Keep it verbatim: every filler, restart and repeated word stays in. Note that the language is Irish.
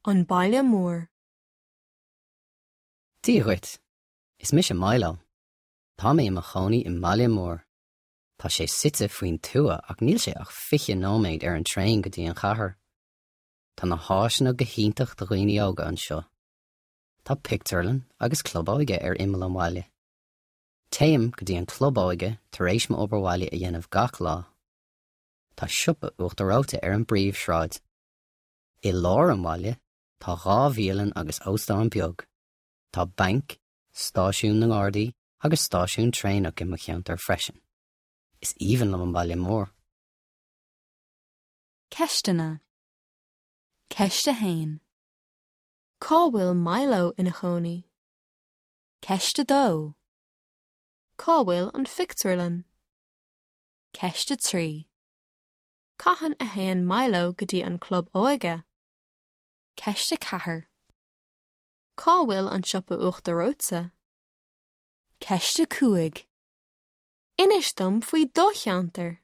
An baile mór. Dia dhuit, is mise Milo. Tá mé i mo chónaí i mbaile mór. Tá sé suite faoin tuath ach níl sé ach fiche nóiméad ar an traein go dtí an chathair. Tá na háiseanna go hiontach do dhaoine óga anseo. Tá pictiúrlann agus club óige ar imeall an bhaile. Téim go dtí an club óige tar éis m'obair bhaile a dhéanamh gach lá. Tá siopa Uachtar Reoite ar an bpríomhshráid. I lár an bhaile tá dhá bhialann agus óstán beag. Tá banc, stáisiún na nGardaí agus stáisiún traenach i mo cheantar freisin. Is aoibhinn liom an baile mór. Ceisteanna. Ceist a haon. Cá bhfuil Milo ina chónaí? Ceist a dó. Cá bhfuil an phictiúrlann? Ceist a trí. Cathain a théann Milo go dtí an club óige? Ceist a ceathair. Cá bhfuil an siopa uachtar reoite? Ceist a cúig. Inis dom faoi do cheantar.